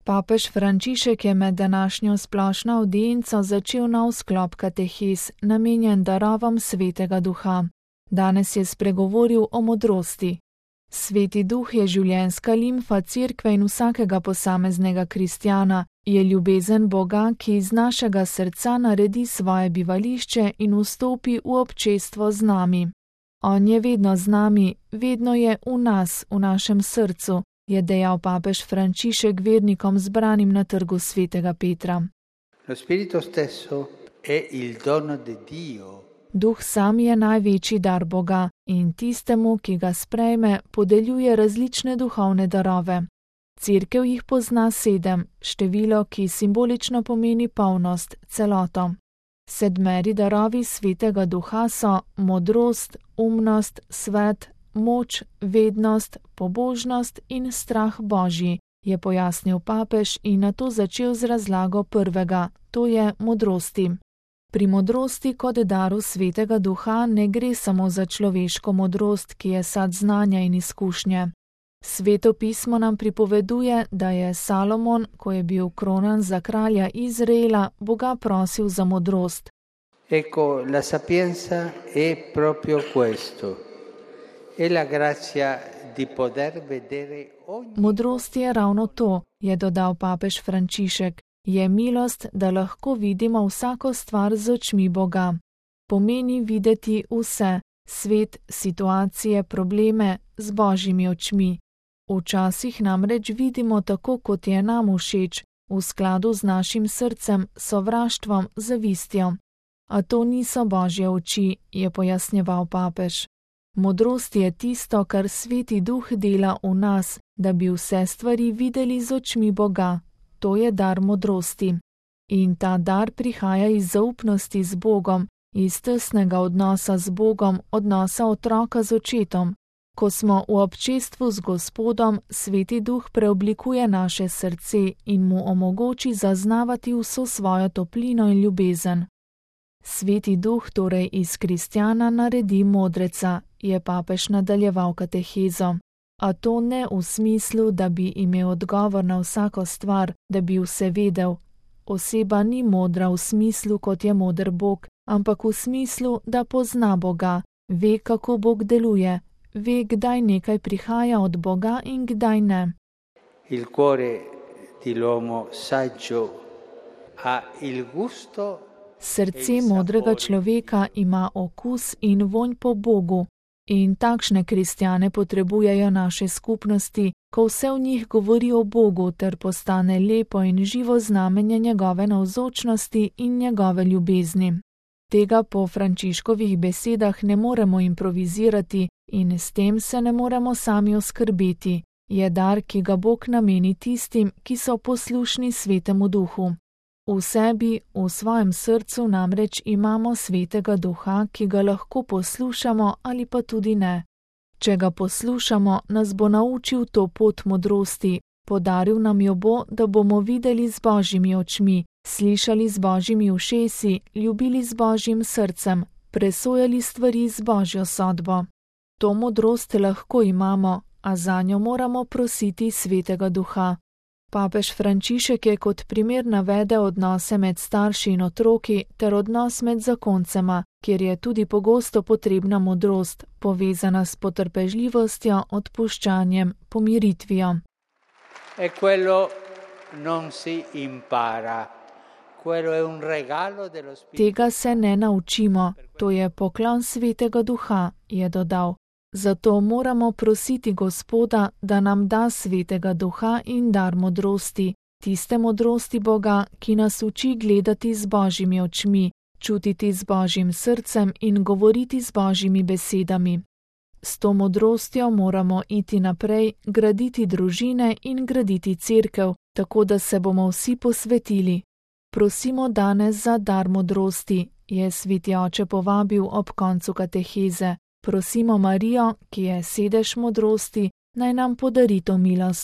Papež Frančišek je med današnjo splošno avdienco začel nov sklop katehez, namenjen darovom Svetega Duha. Danes je spregovoril o modrosti. Sveti Duh je življenjska limfa Cerkve in vsakega posameznega kristjana, je ljubezen Boga, ki iz našega srca naredi svoje bivališče in vstopi v občestvo z nami. On je vedno z nami, vedno je v nas, v našem srcu, je dejal papež Frančišek vernikom zbranim na trgu svetega Petra. Duh sam je največji dar Boga in tistemu, ki ga sprejme, podeljuje različne duhovne darove. Cerkev jih pozna 7, število, ki simbolično pomeni polnost, celoto. 7 darovi Svetega Duha so modrost, umnost, svet, moč, vednost, pobožnost in strah Božji, je pojasnil papež in nato začel z razlago prvega, to je modrosti. Pri modrosti kot daru Svetega Duha ne gre samo za človeško modrost, ki je sad znanja in izkušnje. Sveto pismo nam pripoveduje, da je Salomon, ko je bil kronan za kralja Izraela, Boga prosil za modrost. Ecco, la sapienza è proprio questo. È la grazia di poter vedere ogni... Modrost je ravno to, je dodal papež Frančišek. Je milost, da lahko vidimo vsako stvar z očmi Boga. Pomeni videti vse, svet, situacije, probleme z Božjimi očmi. Včasih namreč vidimo tako, kot je nam všeč, v skladu z našim srcem, sovraštvom, zavistjo. A to niso Božje oči, je pojasnjeval papež. Modrost je tisto, kar Sveti Duh dela v nas, da bi vse stvari videli z očmi Boga. To je dar modrosti. In ta dar prihaja iz zaupnosti z Bogom, iz tesnega odnosa z Bogom, odnosa otroka z očetom. Ko smo v občestvu z Gospodom, Sveti Duh preoblikuje naše srce in mu omogoči zaznavati vso svojo toplino in ljubezen. Sveti Duh torej iz kristjana naredi modreca, je papež nadaljeval katehezo. A to ne v smislu, da bi imel odgovor na vsako stvar, da bi vse vedel. Oseba ni modra v smislu, kot je moder Bog, ampak v smislu, da pozna Boga, ve, kako Bog deluje, ve, kdaj nekaj prihaja od Boga in kdaj ne. Il cuore dell'uomo saggio ha il gusto. Srce modrega človeka ima okus in vonj po Bogu. In takšne kristjane potrebujejo naše skupnosti, ko vse v njih govori o Bogu ter postane lepo in živo znamenje njegove navzočnosti in njegove ljubezni. Tega po Frančiškovih besedah ne moremo improvizirati in s tem se ne moremo sami oskrbeti. Je dar, ki ga Bog nameni tistim, ki so poslušni Svetemu Duhu. V sebi, v svojem srcu namreč imamo Svetega Duha, ki ga lahko poslušamo ali pa tudi ne. Če ga poslušamo, nas bo naučil to pot modrosti, podaril nam jo bo, da bomo videli z Božjimi očmi, slišali z Božjimi ušesi, ljubili z Božjim srcem, presojali stvari z Božjo sodbo. To modrost lahko imamo, a zanjo moramo prositi Svetega Duha. Papež Frančišek je kot primer navedel odnose med starši in otroki ter odnos med zakoncema, kjer je tudi pogosto potrebna modrost, povezana s potrpežljivostjo, odpuščanjem, pomiritvijo. E quello non si impara. Quello è un regalo dello Spirito. Tega se ne naučimo, to je poklon Svetega Duha, je dodal. Zato moramo prositi Gospoda, da nam da Svetega Duha in dar modrosti, tiste modrosti Boga, ki nas uči gledati z Božjimi očmi, čutiti z Božjim srcem in govoriti z Božjimi besedami. S to modrostjo moramo iti naprej, graditi družine in graditi cerkev, tako da se bomo vsi posvetili. Prosimo danes za dar modrosti, je Sveti Oče povabil ob koncu kateheze. Prosimo Marijo, ki je sedež modrosti, naj nam podari to milost.